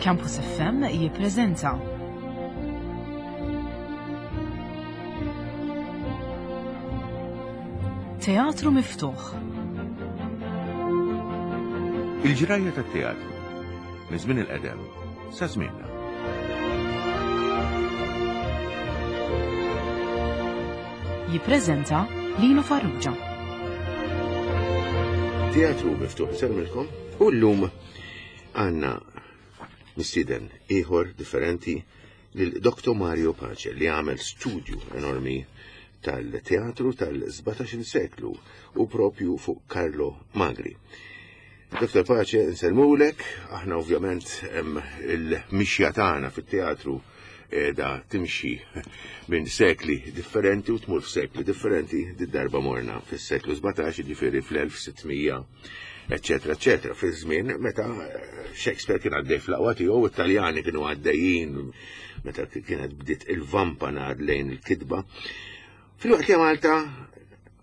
Campus FM jippreżenta Teatru Miftuħ. Il-ġrajja tat-teatru minn żmien il-qedem sa żmienna. Jippreżenta Lino Farrugia. Teatru miftuħ isemmilkom u llum għandna mistieden ieħor differenti lil Dr. Mario Pace li għamel studju enormi tal-teatru tal-17 seklu u propju fuq Carlo Magri. Dr. Pace, nsellmulek, aħna ovvjament il-mixja tagħna fit-teatru da timxi minn sekli differenti u tmur f'sekli differenti, darba morna fis-seklu 17, ġifieri fl-1600, eccetera, eccetera, fi żmien meta Shakespeare kien għaddej fl-aqwa tiegħu, it-Taljani kienu għaddejjin meta kienet bdiet il-vampa nar lejn il-kitba. Fil-waqt li Malta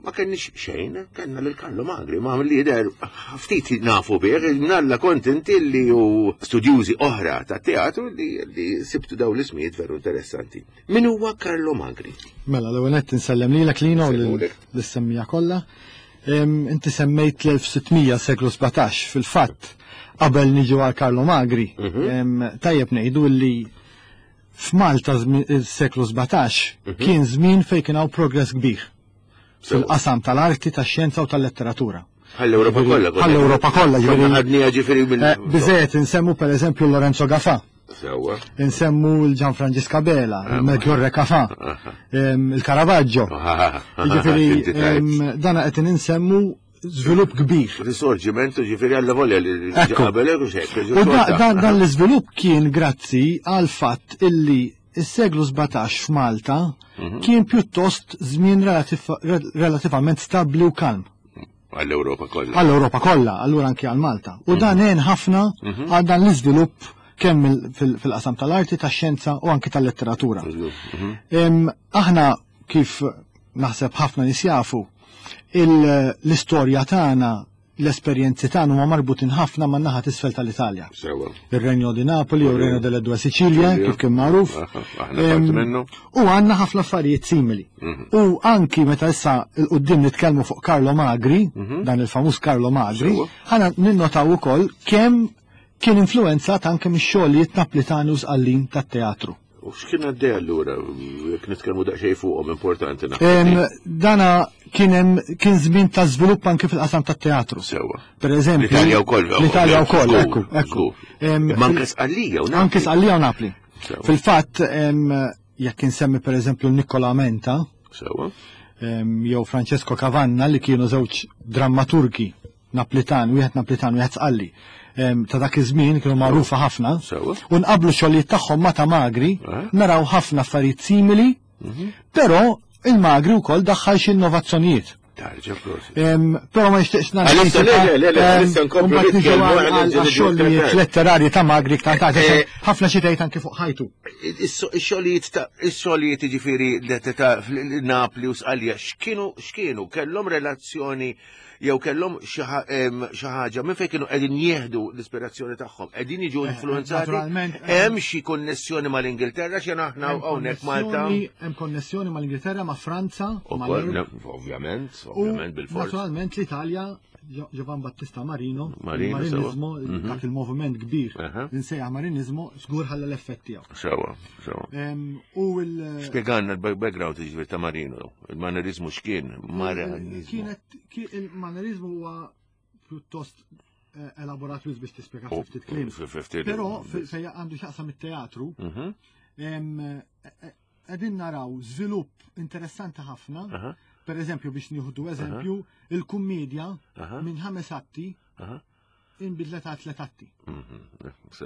ma kenniex xejn, kellna lil Karlo Magri, ma li jidher ftit nafu bih, nalla kont inti li u studjużi oħra ta' teatru li, li sibtu daw l-ismijiet veru interessanti. Min huwa Karlo Magri? Mela, l-ewwel nett insellem lilek Lino u lis-semmija kollha. Inti semmejt l-1600 seklu 17 fil-fatt qabel niġu għal Karlo Magri. Mhm. Tajjeb ngħidu li F'Malta s-seklu 17 mhm. kien żmien fejn kien hawn progress kbir fil-qasam tal-arti, tax-xjenza u tal-letteratura. Għall-Ewropa kollha. Għall-Ewropa kollha, ġifieri. Ħadniha ġifieri minn. Eh, biżejjed insemmu pereżempju Lorenzo Gafa. Sewwa. Insemmu l-Gian Francisco Bela, ah, il-Melchiorre Cafa, il-Caravaggio. Ġifieri dana qed insemmu żvilupp kbir. Risorġiment ġifieri għalla volja li qabel u xejn. U dan l-iżvilupp kien grazzi għal fatt illi is-seklu 17 f'Malta mhm. kien pjuttost żmien relativament stabbli u kalm. Għall-Ewropa kollha. Għall-Ewropa kollha, allura anki għal Malta. U dan mhm. għen ħafna mhm. għal dan l-iżvilupp kemm fil-qasam tal-arti, tax-xjenza u anki tal-letteratura. Aħna kif naħseb ħafna nies jafu, l-istorja tagħna l-esperjenzi tagħna huma marbutin ħafna man naħa t'isfel tal-Italja. Sewa. Ir-Renjo di Napoli u r-Renjo delle Due Sicilie, kif kien magħruf. U għandna ħafna affarijiet simili. Mhm. U anki meta issa l-qudiem nitkellmu fuq Carlo Magri, mhm. dan il-famuż Carlo Magri, ħana ninnotaw ukoll kemm kien influenzat anke mix-xogħlijiet Naplitani u Sqallin tat-teatru. U x'kien għaddej allura, jekk nitkellmu daqsxejn fuqhom importanti naħseb. Dana kien hemm kien żmien ta' żvilupp anke fil-qasam tat-teatru. Sewwa. Per eżempju. L-Italja wkoll. L-Italja wkoll, ekku, ekku. Manke Sqallija u Napli. Anke Sqallija u Napli. Fil-fatt, jekk insemmi per eżempju Nicola Menta. Sewwa. Jew Francesco Cavanna li kienu żewġ drammaturgi Naplitan, wieħed Naplitan, wieħed Sqalli. Ta' dak iż-żmien kienu magħrufa ħafna. U nqablu xogħlijiet tagħhom ma' ta' Magri, eh? naraw ħafna affarijiet simili, mhm. però il-Magri wkoll daħħal xi innovazzjonijiet. Però ma nixtieqx nara. Le, le, le, nkomplu nitkellmu għal letterarji ta' Magri ta' ta' eh, ħafna xi tgħid anke fuq ħajtu. Ix-xogħlijiet ta' ix-xogħlijiet jiġifieri ta' Napli u Sqalja x'kienu x'kienu kellhom relazzjoni jew kellhom xi ħaġa minn fejn kienu qegħdin jieħdu l-ispirazzjoni tagħhom, qegħdin jiġu eh, influenzati. Hemm xi konnessjoni mal-Ingilterra xi aħna hawnhekk Malta. Hemm konnessjoni mal-Ingilterra ma' Franza, Ovvjament, ovvjament bil-fors. Naturalment l-Italja Giovan Battista Marino, Marinizmo, mhm. dak il-moviment kbir, nsejjaħ Marinizmo, żgur ħalla l-effett tiegħu. Sewa, sewa. U il- Spjegalna l-background ġifier ta' Marino, il-Manerizmu x'kien, Marinizmu. Kienet il-Manerizmu huwa pjuttost eh, elaborat wis biex tispjega oh, ftit kliem. Però fejn għandu x'jaqsam it-teatru, mhm. eh, eh, qegħdin naraw żvilupp interessanti ħafna. Per eżempju biex nieħdu eżempju, il-kummedja minn ħames atti inbidlet għal tliet atti. Mhm,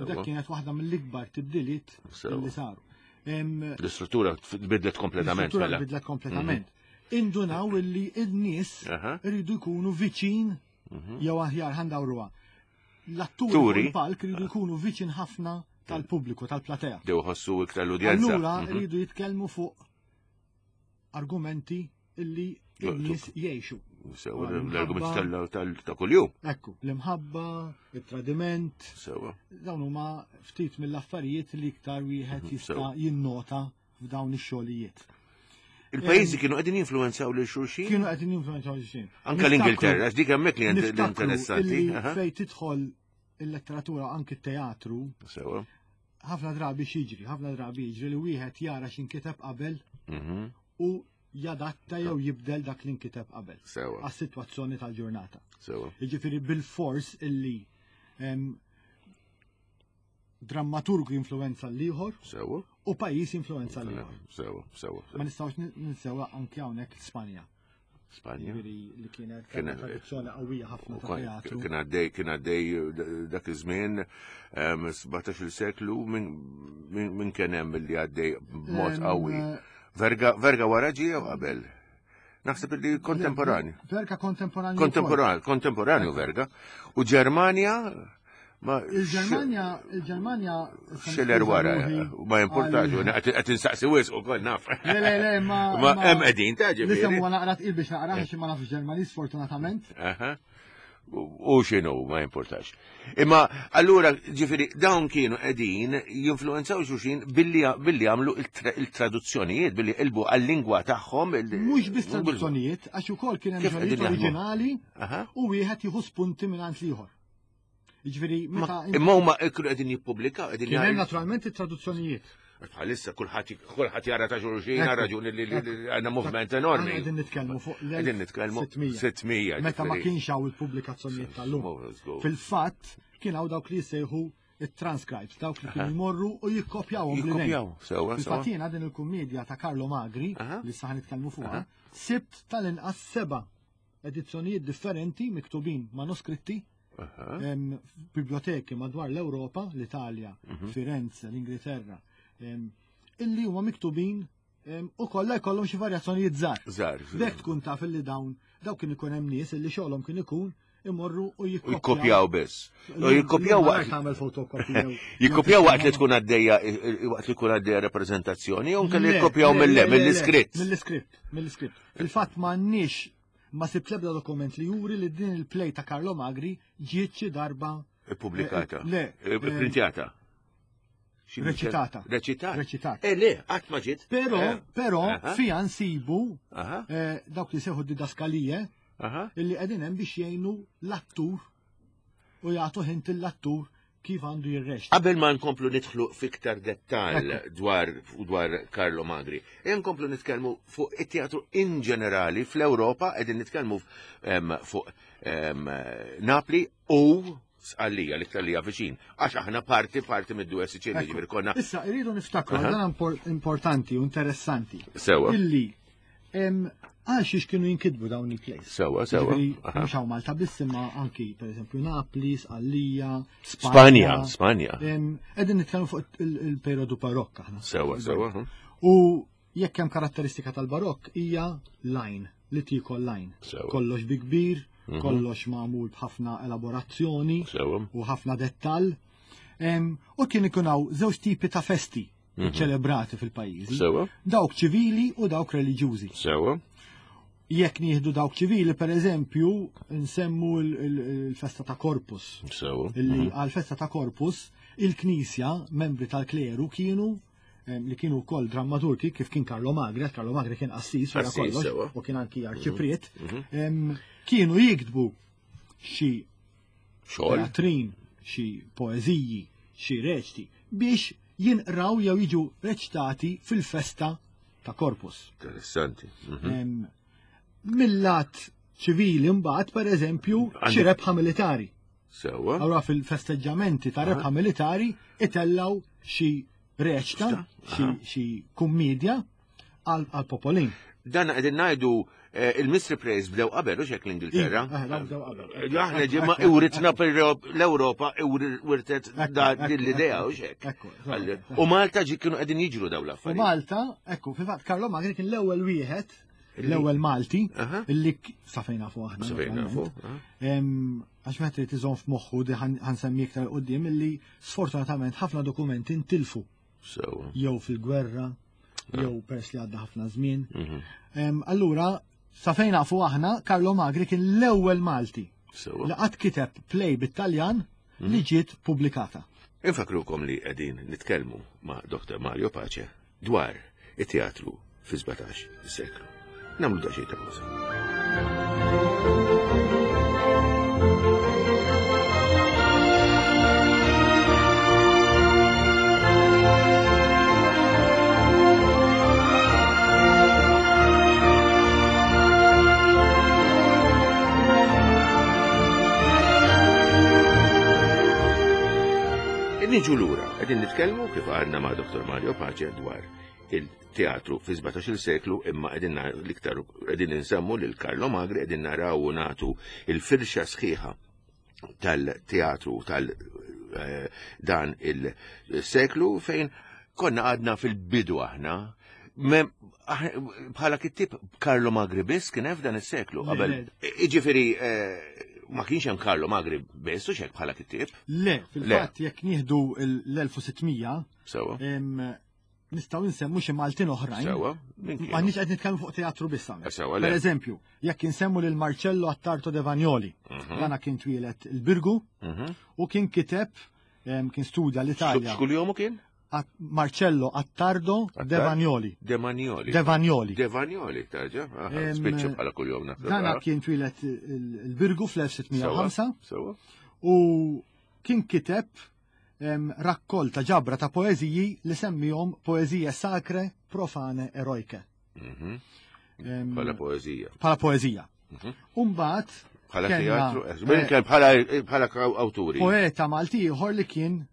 Dak kienet waħda mill-ikbar tibdiliet li saru. L-istruttura tbidlet kompletament. L-istruttura mela. tbidlet kompletament. Mhm. Indunaw illi n-nies rridu jkunu viċin mhm. jew aħjar ħandawruha. L-atturi palk rridu jkunu viċin ħafna tal-pubbliku, tal-platea. Dew ħossu iktar l-udjenza. Allura rridu jitkellmu fuq argumenti illi n-nies jgħixu. Sewa, l-argument ta' kuljum. Ekku, l-imħabba, il-tradiment. Sewa. Dawn huma ftit mill-affarijiet li iktar wieħed mhm, jista' jinnota f'dawn ix-xogħlijiet. Il-pajjiżi kienu qegħdin jinfluwenzaw lil xulxin? Kienu qegħdin jinfluwenzaw lil xulxin. Anke l-Ingilterra, dik hemmhekk li interessanti. Fejn tidħol il-letteratura anki t-teatru. Sewa. Ħafna drabi xiġri, ħafna drabi jiġri li wieħed jara x'inkiteb qabel mhm. u jadatta jew jibdel dak li nkiteb qabel. Sewa. Għas-sitwazzjoni tal-ġurnata. Sewa. Jiġifieri bil-fors illi drammaturgu jinfluwenza l-ieħor. Sewa. U pajjiż jinfluwenza l-ieħor. Sewa, sewa. Ma nistgħux ninsew anke hawnhekk Spanja. Spanja. Li kienet tradizzjoni qawwija ħafna ta' teatru. Kien għaddej, kien għaddej dak iż-żmien 17-il seklu minn kien hemm li għaddej b'mod qawwi. Verga, Verga wara ġie jew qabel? Naħseb li kontemporanju. Verga kontemporanju. Kontemporanju, kontemporanju Verga. U Ġermanja ma Il-Ġermanja, il-Ġermanja. Schiller wara, ma importax, qed insaqsi wisq ukoll naf. Le, le, le, ma. Ma hemm qegħdin ta' ġifieri. Nisem huwa naqra tqil biex naqra għax ma nafx Ġermaniż sfortunatament. U x'inhu ma importax. Imma allura ġifieri dawn kienu qegħdin jinfluwenzaw xulxin billi billi għamlu il-traduzzjonijiet, billi qilbu għal-lingwa tagħhom. Mhux biss traduzzjonijiet, għax ukoll kien hemm xogħlijiet oriġinali u wieħed jieħu spunti minn l-ieħor. Jiġifieri meta Imma huma kienu qegħdin jippubblikaw qegħdin Kien hemm naturalment it-traduzzjonijiet. Bħalissa kulħadd kulħadd jara ta' xulxin għal raġuni li għandna movement enormi. Qegħdin nitkellmu fuq Qegħdin nitkellmu 600. Meta ma kienx hawn il-pubblikazzjonijiet tal-lum. Fil-fatt kien hawn dawk li jsejħu it-transcribes, dawk li kienu jmorru u jikkopjawhom. Jikkopjaw, sewa. Fil-fatt jiena din il-kummedja ta' Carlo Magri, li saħ nitkellmu fuqha, sibt tal-inqas seba' edizzjonijiet differenti miktubin manuskritti biblioteki madwar l-Ewropa, l-Italja, mhm. Firenze, l-Ingilterra, illi huma miktubin u kollha jkollhom xi varjazzjonijiet żgħar. Żgħar. Dek tkun taf illi dawn daw kien ikun hemm nies illi xogħolhom kien ikun imorru u jikkopjaw biss. U jikkopjaw waqt tagħmel fotokopja. Jikkopjaw waqt li tkun għaddejja waqt li tkun għaddejja rappreżentazzjoni jew kelli jikkopjaw mill-iskritt. Mill-iskritt, mill-iskritt. Fil-fatt m'għandniex ma sibt l-ebda dokument li juri li din il-play ta' Carlo Magri ġiet xi darba Ippubblikata. Eh, le. Eh, Printjata. Reċitata. Reċitata. Reċitata. Eh, le, qatt ma ġiet. Però, eh. però, fija nsibu dawk li seħu didaskalije illi qegħdin hemm biex jgħinu l-attur u jagħtu ħint l-attur kif għandu jirreċta. Qabel ma nkomplu nidħlu fiktar dettal dwar dwar Carlo Magri, e nkomplu nitkellmu fuq it-teatru in ġenerali fl-Ewropa qegħdin nitkellmu fuq Napli u Sqallija li tallija viċin, għax aħna parti parti mid-due Siċilja ġifieri konna. Issa irridu niftakru dan importanti u interessanti. Sewa. Illi Għal xiex kienu jinkitbu dawn il-plays. Sewa, sewa. Mhux hawn Malta biss imma anki pereżempju Napli, Sqallija, Spanja. Spanja. Qegħdin nitkellmu fuq il-perjodu barokk aħna. Sewa, sewa. U jekk hemm karatteristika tal-barokk hija line, li tiekol line. Kollox bi kbir, mhm. kollox magħmul b'ħafna elaborazzjoni u ħafna dettall. U kien ikun hawn żewġ tipi ta' festi mhm. ċelebrati fil-pajjiżi. Dawk ċivili u dawk reliġjużi. Sewa. Jekk nieħdu dawk ċivili, per eżempju, nsemmu l-festa ta' Corpus. Sewa. Illi mhm. għal-festa ta' Corpus, il-Knisja, membri tal-kleru kienu li kienu wkoll drammaturgi kif kien Carlo Magri, Carlo Magri kien qassis wara kollox u kien anki arċipriet, mhm. kienu jiktbu xi Xogħol. Teatrin, xi poeżiji, xi reċti biex jinqraw jew jiġu reċtati fil-festa ta' Corpus. Interessanti. Mhm. Mill-lat ċivili mbagħad pereżempju xi rebħa militari. Sewwa. Allura fil-festeġġamenti ta' rebħa militari itellaw xi reċta, xi kummedja għal-popolin. Dan qegħdin ngħidu eh, il-Mystery Plays bdew qabel u xek l-Ingilterra. Iva, eh, bdew qabel. Eh, aħna ġimma iwritna l-Ewropa wirtet din l-idea u xek. U Malta ġi kienu qegħdin jiġru dawn l-affarijiet. U Malta, ekku, fil-fatt Carlo Magri kien l-ewwel wieħed l-ewwel Malti illi sa fejn nafu aħna. Sa fejn nafu. Għax meta trid iżomm f'moħħu di ħansemmi iktar qudiem illi sfortunatament ħafna dokumenti ntilfu. Sewa. Jew fil-gwerra, jew peress li għadda ħafna żmien. Mhm. Allura, Sa fejn nafu aħna, Carlo Magri kien l-ewwel Malti li qatt kiteb play bit-Taljan li ġiet pubblikata. Infakrukom li qegħdin nitkellmu ma' Dr. Mario Pace dwar it-teatru fi 17 seklu. Nagħmlu daqsxejn ta' pawża. Niġu lura, qegħdin nitkellmu kif għadna ma' Dr. Mario Pace dwar il-teatru fi 17 seklu imma qegħdin l-iktar qegħdin insemmu lil Carlo Magri qegħdin naraw u nagħtu il-firxa sħiħa tal-teatru tal eh, dan il-seklu fejn konna għadna fil-bidu aħna bħala kittib Carlo Magri biss kien hemm f'dan is-seklu qabel. Jiġifieri eh, ma kienx hemm Carlo Magri biss u xek bħala kittib. Le, fil-fatt jekk nieħdu l-1600 Sewa. Nistgħu nsemmu xi Maltin oħrajn. Sewa. M'għandniex qed nitkellmu fuq teatru biss hawnhekk. Sewa. Per eżempju, jekk insemmu lil Marcello Attarto de Vagnoli, mhm. dana kien twieled il-Birgu mhm. u kien kiteb kien studja l-Italja. X'kull jomu kien? Marcello Attardo De Vagnoli. De Vagnoli. De Vagnoli. De Vagnoli, tarġa. Spiċċa bħala kuljom naħseb. Dana kien twieled il-Birgu fl-1605. Sewa. U kien kiteb rakkolta ġabra ta' poeżiji li semmihom poeżije sacre, profane, eroike. Mhm. Bħala poeżija. Bħala poeżija. Mhm. Umbat. Bħala teatru, eh, bħala awturi. Poeta Malti ieħor li kien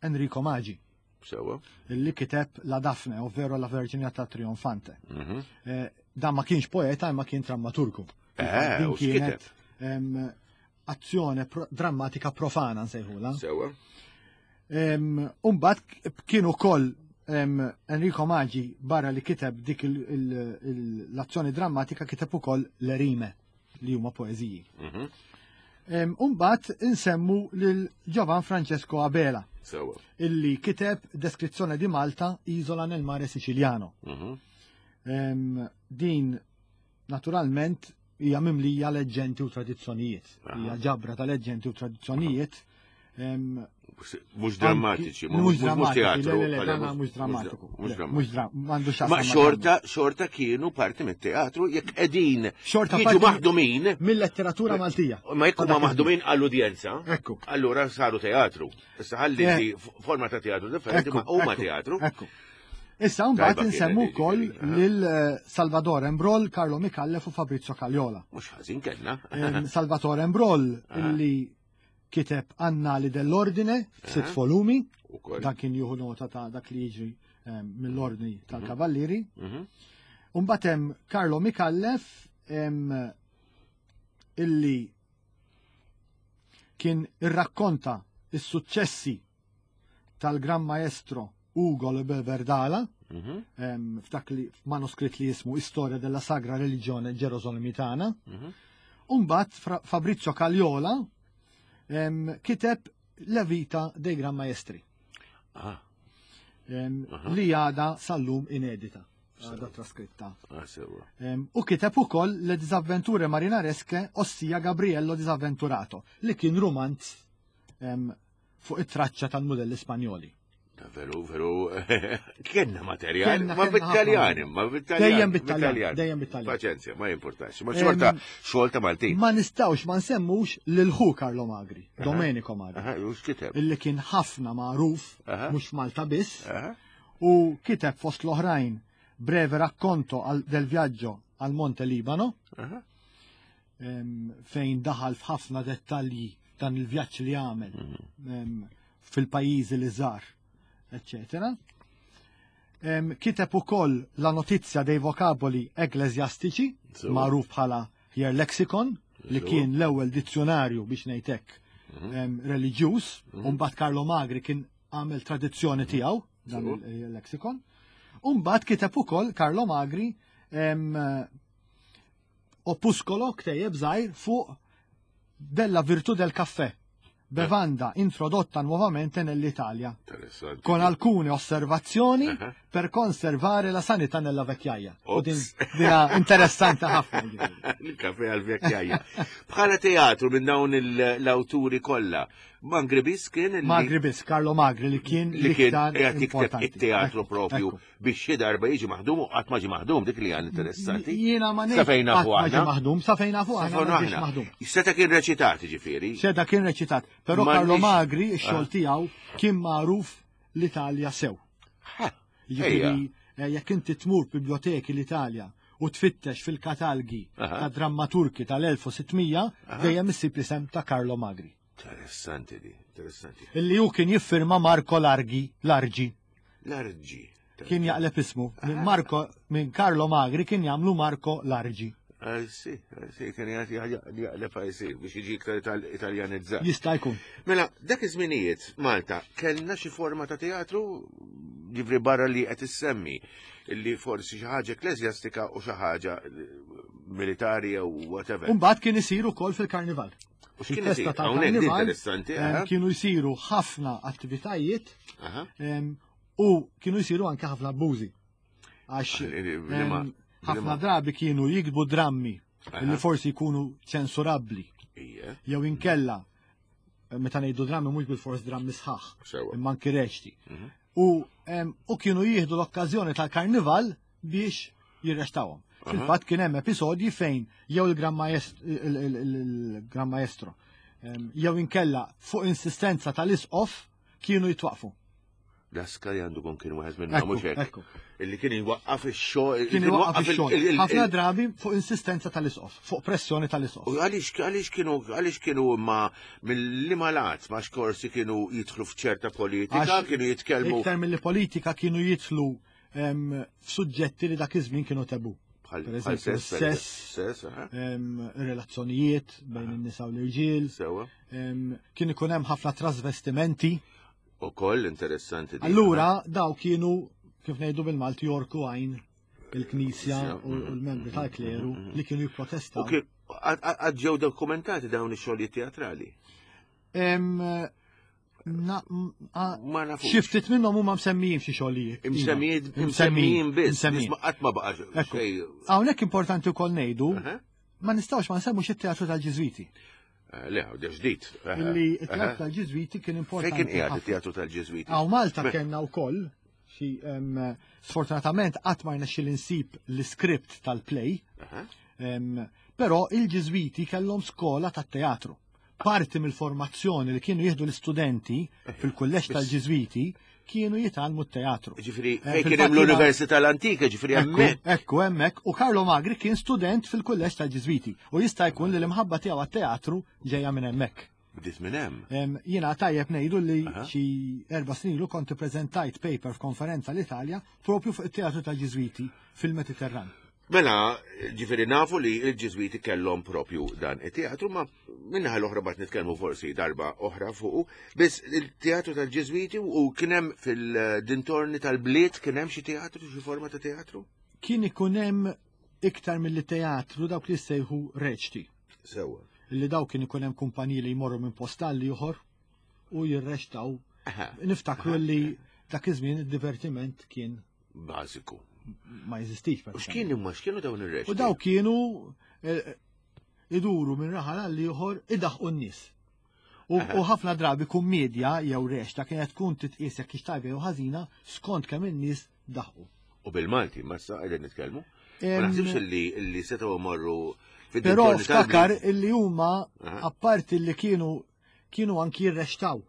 Enrico Maggi. Sewa. Li kiteb La Daphne, ovvero La Verginità Trionfante. Mhm. Eh, dan ma kienx poeta imma kien drammaturgu. Eh, u kienet azzjoni drammatika profana nsejħula. Sewa. Umbat kien ukoll Enrico Maggi barra li kiteb dik l-azzjoni drammatika kiteb ukoll l-erime li huma poeżiji. Mhm. Umbat insemmu lil Giovan Francesco Abela. Sewa. Illi kiteb Deskrizzjoni di Malta, Isola nel mare Siciliano. Mhm. Din naturalment hija mimlija leġġendi u tradizzjonijiet. Hija ġabra ta' leġġendi u tradizzjonijiet. Mhux drammatiċi, mhux drammatiċi, mhux drammatiku. Mhux drammatiku. Ma xorta, xorta kienu parti mit-teatru jekk qegħdin xorta jiġu maħdumin mill-letteratura Maltija. Ma jekk huma maħdumin għall-udjenza. Ekku. Allura saru teatru. Issa ħalli forma ta' teatru differenti ma huma teatru. Ekku. Issa mbagħad insemmu wkoll lil eh, Salvatore Embrol, Carlo Micallef u Fabrizio Cagliola. Mhux ħażin kellna. Salvatore Embrol illi kiteb Annali dell'Ordine f'sitt volumi, dan kien jieħu nota ta' dak li jiġri mill-ordni mhm. tal-Kavallieri. Mhm. Mbagħad hemm Carlo Micallef illi kien irrakkonta is-suċċessi tal-Gran Maestro Ugo Le Verdala, mhm. f'dak li manuskritt li jismu Istoria della Sagra Religione Gerosolimitana. Mhm. Umbat Fabrizio Cagliola kiteb La Vita dei Gran Maestri. Ah. Li għada sal-lum inedita. Għada traskritta. Ah, u kiteb ukoll Le Disavventure Marinaresche, ossia Gabriello Disavventurato, li kien romanz fuq it-traċċa tal-mudelli Spanjoli. Veru, veru, kienna materjal, ma bit-Taljan, ma bit-Taljan. Dejjem bit-Taljan, dejjem bit-Taljan. Paċenzja, ma jimportax, ma xorta, xorta Maltin. Ma nistawx ma nsemmux lil ħu Carlo Magri, Domenico Magri. Illi kien ħafna magħruf, mhux Malta biss, u kiteb fost l-oħrajn breve racconto del viaggio al Monte Libano. Fejn daħal f'ħafna dettalji dan il-vjaġġ li għamel mhm. fil-pajjiżi li żar, eccetera. Kiteb ukoll la notizia dei vocaboli ecclesiastici, magħruf bħala Hier Lexicon, li kien l-ewwel dizzjonarju biex ngħidlek mhm. reliġjuż, mhm. u mbagħad Carlo Magri kien għamel tradizzjoni tiegħu dan il-lexicon. U mbagħad kiteb ukoll Carlo Magri Opuskolo ktejjeb żgħir fuq della virtù del caffè, bevanda introdotta nuovamente nell'Italia. Con alcune osservazioni uh -huh. per conservare la sanità nella vecchiaia. U din dina interessanti ħafna. Il-kafe għal-vecchiaia. Bħala teatru minn dawn l-awturi kollha, Magri biss kien Magri biss, Carlo Magri li kien li kien qiegħed jikteb it-teatru propju biex xi darba jiġi maħdum u qatt ma ġi maħdum dik li għan interessanti. Jiena ma ngħid. Sa fejn nafu aħna. maħdum, sa fejn nafu aħna maħdum. Seta kien reċitat ġifieri. Seta kien reċitat, però Carlo Magri ix-xogħol ah. tiegħu kien magħruf l-Italja sew. Jiġifieri eh, jekk inti tmur biblioteki l-Italja u tfittex fil-katalgi ta' drammaturki tal-1600 dejjem issib l-isem ta' Carlo Magri. Interessanti di, interessanti. Illi hu kien jiffirma Marco Largi, Largi. Largi. Kien jaqleb ismu. Minn Marco, minn Carlo Magri kien jagħmlu Marco Largi. Sì, sì, kien jaqleb sì, biex jiġi iktar italjanizzat. Jista' jkun. Mela, dak iż-żminijiet Malta kellna xi forma ta' teatru ġifri barra li qed issemmi li forsi xi ħaġa ekkleżjastika u xi ħaġa militari jew whatever. Imbagħad kien isir ukoll fil-karnival. U x'kien isir? Hawnhekk interessanti. Kienu jsiru ħafna attivitajiet u kienu jsiru anke ħafna abbużi. Għax ħafna drabi kienu jikbu drammi li forsi jkunu ċensurabbli. Jew inkella meta ngħidu drammi mhux bil-fors drammi sħaħ, imma anki reċti. Mhm. U kienu jieħdu l-okkażjoni tal-karnival biex jirrestawhom. Fil-fatt kien hemm episodji fejn jew il-Gran Maestro jew inkella fuq insistenza tal-isqof kienu jitwaqfu. L-askari għandu kun kien wieħed minnhom mhux hekk. Illi kien jwaqqaf ix-xogħol. Kien jwaqqaf ix-xogħol. Ħafna drabi fuq insistenza tal-isqof, fuq pressjoni tal-isqof. U għaliex għaliex kienu għaliex kienu ma mill-liema lat ma xkorsi kienu jidħlu f'ċerta politika, kienu jitkellmu. Iktar mill-politika kienu jidħlu f'suġġetti li dak iż-żmien kienu tabu. Per eżempju, sess, relazzjonijiet bejn in-nisa u l-irġiel. Kien ikun hemm ħafna trasvestimenti. Ukoll interessanti. Allura daw kienu kif ngħidu bil-Malti jorku għajn il-Knisja u l-membri tal-kleru li kienu jipprotestaw. Għad ġew dokumentati dawn ix-xogħlijiet teatrali? Ma nafux. Xi ftit minnhom huma msemmijin f'xi xogħlijiet. Imsemmijin imsemmijin biss, qatt ma baqa' xejn. Hawnhekk importanti wkoll ngħidu ma nistgħux ma nsemmux it-teatru tal-Ġiżwiti. Eh, le, għu ġdid. Eh, Illi it-teatru tal-Ġiżwiti kien importanti. Fejn kien qiegħed it-teatru tal-Ġiżwiti? Hawn Malta kellna wkoll xi sfortunatament qatt ma rnexxi insib l-iskript tal-play. Però il-Ġiżwiti kellhom skola tat-teatru. Parti mill-formazzjoni li kienu jieħdu l-istudenti fil-kulleġġ tal-Ġiżwiti kienu jitgħallmu t-teatru. Ġifieri eh, fejn kien hemm l-Università l-Antika, ġifieri hemmhekk. Ekku hemmhekk u Carlo Magri kien student fil-kulleġġ tal-Ġiżwiti u jista' jkun li l-imħabba tiegħu għat-teatru ġejja minn hemmhekk. Bdiet minn hemm. Jiena tajjeb ngħidu li xi erba' snin ilu kont ippreżentajt paper f'konferenza l-Italja propju fuq it-teatru tal-Ġiżwiti fil-Mediterran. Mela, ġifieri nafu li l-Ġiżwiti kellhom propju dan it-teatru, ma minnaħa l-oħra bat nitkellmu forsi darba oħra fuqu, biss il-teatru tal-Ġiżwiti u kien hemm fil-dintorni tal-bliet kien hemm xi teatru, xi forma ta' teatru? Kien ikun hemm iktar milli teatru dawk li sejħu reċti. Sewa. Li daw kien ikun hemm kumpaniji li jmorru minn post għal ieħor u jirrextaw. Niftakru li dak iż-żmien id-divertiment kien bażiku. Ma jeżistix. U x'kien imma x'kienu dawn ir-reċti? U daw kienu eh, iduru minn raħal għal ieħor idaħqu n-nies. U ħafna drabi kummedja jew rexta kienet tkun titqies jekk tajba jew ħażina skont kemm in-nies daħqu. U bil-Malti, ma sa qegħdin nitkellmu. Ma naħsibx li li setgħu morru Però ftakar illi huma apparti li kienu kienu anki jirrextaw.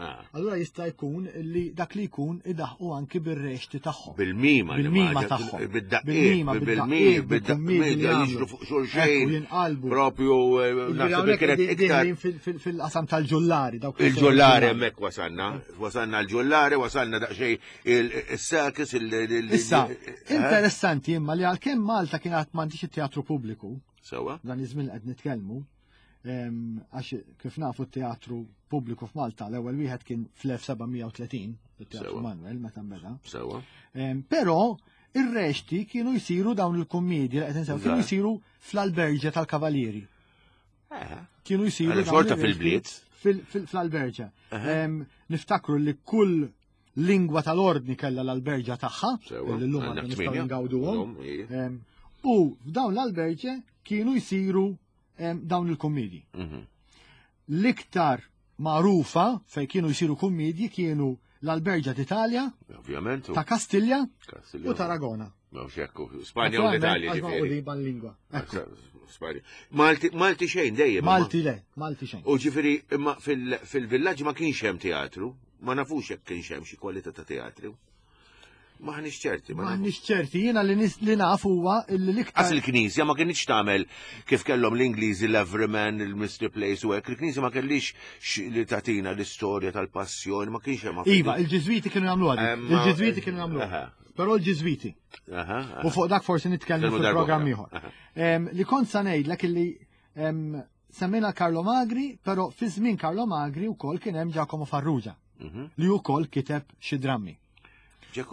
Ah. Allura jista' jkun li dak li jkun idaħqu anki bir-rexti tagħhom. Bil-mima. Bil-mima tagħhom. Bil-mima, bil-mima, bil-mima, jiġru fuq xulxin. Jinqalbu. Propju, eh, naħseb li kienet iktar. Fil-qasam tal-ġullari. Il-ġullari hemmhekk wasalna. Wasalna l-ġullari, wasalna daqsxejn il-circus, il- Issa, eh? interessanti imma li għalkemm Malta kienet m'għandix it-teatru pubbliku. Sewa. Dan iż-żmien qed nitkellmu Għax kif nafu t-teatru pubbliku f'Malta l-ewwel wieħed kien fl-1730, it-Teatru Manuel meta nbeda. Sewa. Però ir-rexti kienu jsiru dawn il-kummedji li qed insew kienu jsiru fl-alberġa tal-Kavalieri. Eh. Kienu jsiru xorta fil-bliet. Fl-alberġa. Niftakru li kull lingwa tal-ordni kellha l-alberġa tagħha, li llum għandna nistgħu ngawduhom. U f'dawn l-alberġe kienu jsiru dawn il-kummedji. L-iktar magħrufa fejn kienu jsiru kummedji kienu l-Alberġa d'Italja, Ovvjament. ta' Kastilja u Tarragona. Spanja u l-Italja. Ġifieri. lingwa. Spanja. Malti, Malti xejn dejjem. Malti le, Malti xejn. U ġifieri imma fil-villaġġ ma kienx hemm teatru, ma nafux jekk kienx hemm xi kwalità ta' teatru. Maħniex ċerti. Maħniex ċerti, jiena li li naf huwa li l-iktar. Għas il-Knisja ma kienx tagħmel kif kellhom l-Ingliżi l-Everyman, il-Mystery Place u hekk, il-Knisja ma kellix li tagħtina l-istorja tal-passjoni, ma kienx hemm. Iva, il-Ġiżwiti kienu jagħmlu għadi. Il-Ġiżwiti kienu jagħmlu. Però l-Ġiżwiti. U fuq dak forsi nitkellmu fil-programm ieħor. Li kont sa ngħidlek illi semmejna Carlo Magri, però fi żmien Carlo Magri wkoll kien hemm Giacomo Farrugia li wkoll kiteb xi drammi.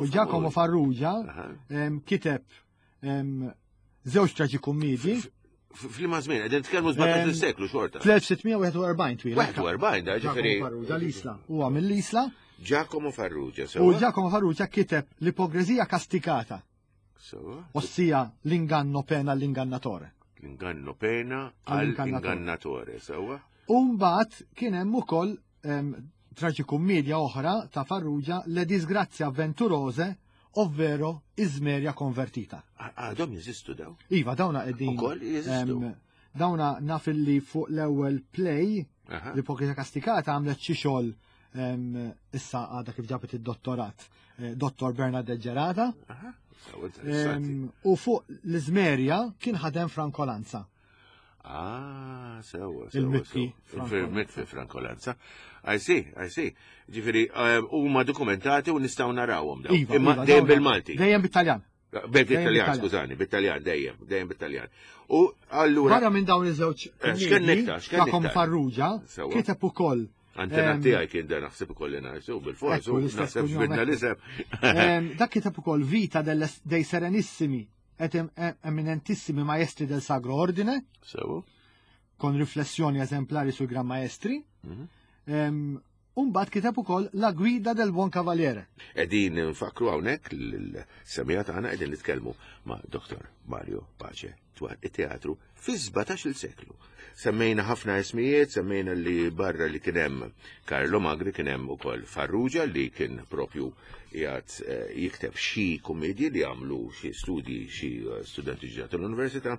U Giacomo Farrugia kiteb żewġ traġikummiedji. F'liema żmien, qegħdin nitkellmu 17 seklu xorta. Fl-1641 twil. 41 da ġifieri. Farrugia l-Isla. Huwa mill-Isla. Giacomo Farrugia, sewa. U Giacomo Farrugia kiteb l-ipokrezija kastikata. Sewa. Ossia l-inganno pena l-ingannatore. L-inganno pena għall-ingannatore, sewa. U mbagħad kien hemm ukoll traġikummedia oħra ta' Farrugia, Le disgrazie avventurose, ovvero Ismeria konvertita. Għadhom jeżistu daw? Iva, dawna qegħdin. Ukoll jeżistu. Dawna naf li fuq l-ewwel play, l-Ipokrita Kastikata għamlet xi xogħol issa għadha kif ġabet id-dottorat, Dottor Bernadette Gerada. U fuq l-Ismeria kien ħadem Franco Lanza. Ah, sewa, sewa. Il-Mitfi. Il-Mitfi Franco Lanza. I see, I see. Ġifieri, huma dokumentati u nistgħu narawhom dawn. Iva, Imma iva, dejjem dawna- bil-Malti. Dejjem bit-Taljan. Bit-Taljan, skużani, bit-Taljan, dejjem, dejjem bit-Taljan. U allura. Barra minn dawn iż-żewġ X'kien iktar, x'kien Giacomo iktar? Farrugia, Sewa. kiteb ukoll. Antenat tiegħi kien dan naħseb ukoll ngħidu bil-fors, Ekku, l-istess naħseb kunjom, ġbidna ekku. l-isem. Dak kiteb ukoll Vita dei Serenissimi et eminentissimi maestri del Sacro Ordine. Sewa. Con riflessioni esemplari sui Gran Maestri. Umbagħad kiteb ukoll La Guida del Buon Cavaliere. Qegħdin nfakru hawnhekk l-semija tagħna qegħdin nitkellmu ma' Dr. Mario Pace dwar it-teatru fi 17-il seklu. Semmejna ħafna ismijiet, semmejna li barra li kien hemm Carlo Magri kien hemm ukoll Farrugia li kien propju qiegħed jikteb xi kummedji li għamlu xi studji xi studenti ġodda tal-università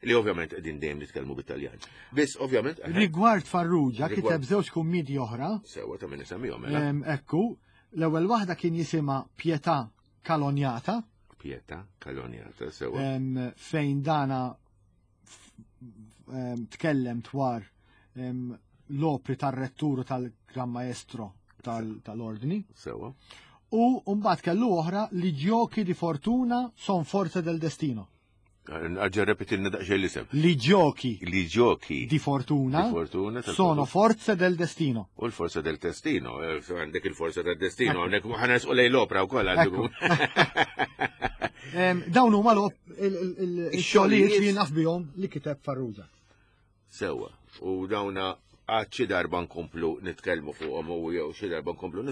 li ovvjament qegħdin dejjem nitkellmu bit-Taljan. Biss ovvjament Rigward Farrugia Rigward kiteb żewġ kummedji oħra. Sewa ta' min isemmihom, mela. Ekku, l-ewwel waħda kien jisimha Pietà Caloniata. Pietà Caloniata, sewa. Fejn dana tkellem dwar l-opri tar-retturu tal-Gran Maestro tal-Ordni. Sewa. U mbagħad kellu oħra li giochi di fortuna son forze del destino. Għagġa repetilna daqsxejn l-isem. Li giochi Li giochi di fortuna di fortuna tal sono fortuna. forze del destino. U l-forza del destino, għandek il-forza del destino, Ekku. għandek ħana nisqu lej l-opra wkoll għandu. Ekku. Dawn huma il-xogħlijiet li naf bihom li kiteb Farrugia. Sewa, u dawna għad xi darba nkomplu nitkellmu fuqhom u jew xi darba nkomplu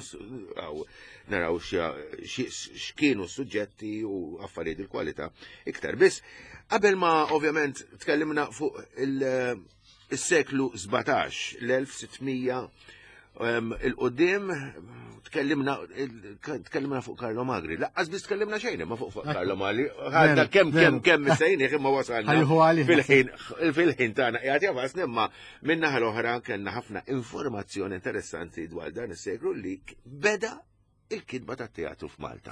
naraw x'kienu s-suġġetti u affarijiet il-kwalità iktar. Biss qabel ma ovvjament tkellimna fuq il-seklu 17, l-1600, il-qudiem tkellimna fuq Carlo Magri. Laqqas biss tkellimna xejn imma fuq Carlo Magri. Għadna kemm, kemm, kemm missejnieh imma wasalna Ħajħu għalih. fil-ħin tagħna qiegħed jafasni, imma min-naħa l-oħra kellna ħafna informazzjoni interessanti dwar dan is-seklu li beda il-kitba tat-teatru f'Malta.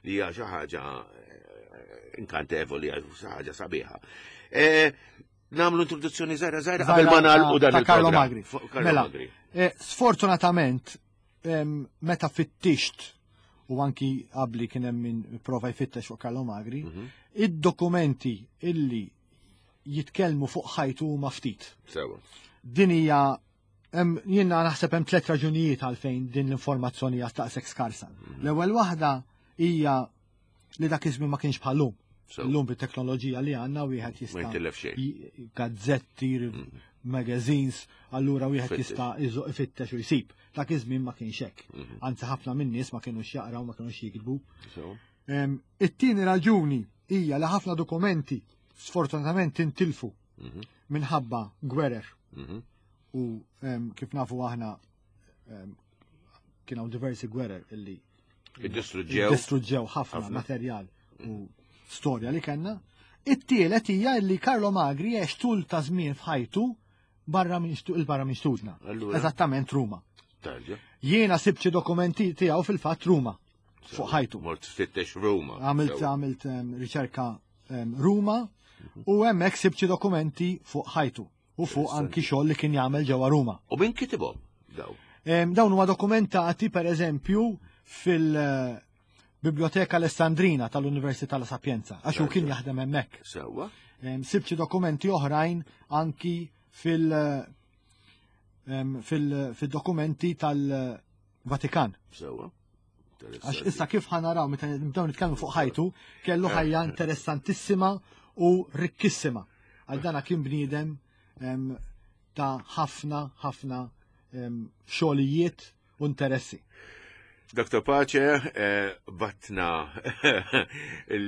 Li hija xi ħaġa inkantevoli, hija xi ħaġa sabiħa. Namlu introduzzjoni żgħira żgħira qabel ma nagħlqu dan Ta' Carlo il-programm. Magri. Fuq Carlo Mela, Magri. sfortunatament, meta fittixt u anki qabli kien hemm min prova jfittex fuq Carlo Magri, id-dokumenti illi jitkellmu fuq ħajtu huma ftit. Sewa. Din hija jiena naħseb hemm tliet raġunijiet għalfejn din l-informazzjoni hija taqsek skarsa. L-ewwel waħda hija li dak iż-żmien ma kienx bħal-lum. Illum bit-teknoloġija li għandna wieħed jista' Ma jitilef xejn. gazzetti, magazines, allura wieħed jista' ifittex u jsib. Dak iż-żmien ma kienx hekk. Mhm. Anzi ħafna min-nies ma kinux jaqraw, ma kinux jiktbu. It-tieni raġuni hija li ħafna dokumenti sfortunatament intilfu mhm. minħabba gwerer. Mhm. U kif nafu aħna kien hawn diversi gwerer illi Iddistruġġew. Distruġġew ħafna materjal u storja li kellna. It-tielet hija li Carlo Magri għex tul ta' żmien f'ħajtu barra minn il-barra minn xtutna. Eżattament Ruma. Jiena sibt xi dokumenti tiegħu fil-fatt Ruma fuq ħajtu. Mort fittex Ruma. Għamilt għamilt riċerka Ruma u hemmhekk sibt xi dokumenti fuq ħajtu. u fuq anki xogħol li kien jagħmel ġewwa Ruma. U min kitibhom daw? Dawn huma dokumentati pereżempju fil-Biblioteka Alessandrina tal-Università La Sapienza, għax hu kien jaħdem hemmhekk. Sewwa. Sibt xi dokumenti oħrajn anki fil- fil-dokumenti tal-Vatikan. Sewwa. Għax issa kif ħanaraw meta nibdew nitkellmu fuq ħajtu, kellu ħajja interessantissima u rikkissima. Għal dana kien bniedem ta' ħafna ħafna xogħlijiet u interessi. Dr. Pace, eh, batna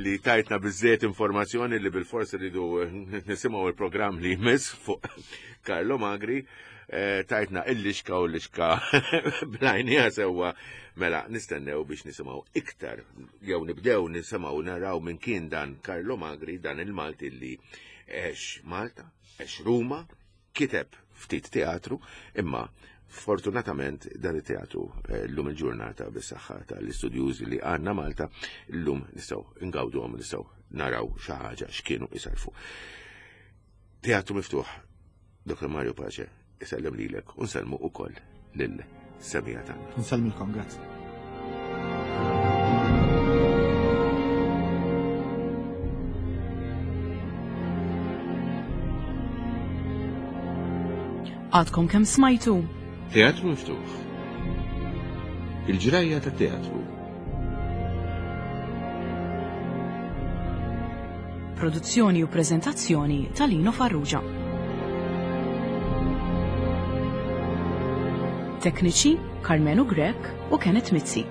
li tajtna bizzejt informazzjoni li bil-fors rridu nisimgħu il-programm li jmiss fuq Carlo Magri. Eh, tajtna il-lixka u l-lixka blajnija sewwa mela nistennew biex nisimgħu iktar jew nibdew nisimgħu naraw minn kien dan Carlo Magri dan il-Malti li għex Malta, għex Ruma, kiteb ftit teatru, imma fortunatament dan it-teatru eh, l-lum il-ġurnata bis-saħħa tal-istudjużi li għandna Malta l-lum nistgħu ngawduhom nistgħu naraw xi ħaġa x'kienu isarfu. Teatru miftuħ Dr. Mario Pace isellem lilek u nsellmu ukoll lil semija tagħna. Nsellmilkom, grazzi. Għadkom kemm smajtu? Teatru miftuħ. Il-ġrajja ta' teatru. Produzzjoni u preżentazzjoni ta' Lino Farrugia. Tekniċi Carmenu Grech u Kenneth Mizzi.